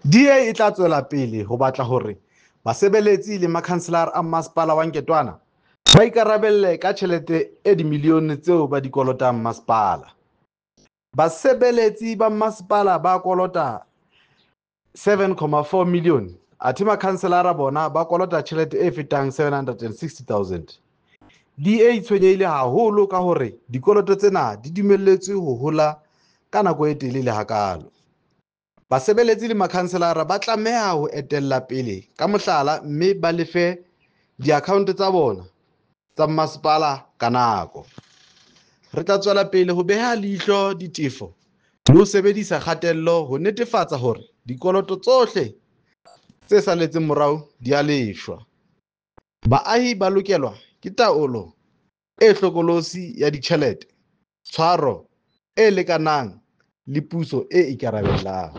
DA e tla tswela pele ho batla hore basebeletsi le makhanselara a Masepala wa Nketoana ba ikarabelle ka tjhelete e dimilione tseo ba di kolotang masepala. Basebeletsi ba masepala ba kolota 7.4 milione athe makhanselara bona ba kolota tjhelete e fetang 760 000. DA e tshwenyehile haholo ka hore dikoloto tsena di dumelletswe ho hola ka nako e telele hakaalo. Basebeletsi le makhanselara ba tlameha ho etella pele ka mohlala mme ba lefe diakhaonto tsa bona tsa masepala ka nako. Re tla tswela pele ho beha leihlo ditefo le ho sebedisa kgatello ho netefatsa hore dikoloto tsohle tse saletseng morao di a lefshwa. Baahi ba lokelwa ke taolo e hlokolosi ya ditjhelete, tshwaro e lekanang le puso e ikarabellang.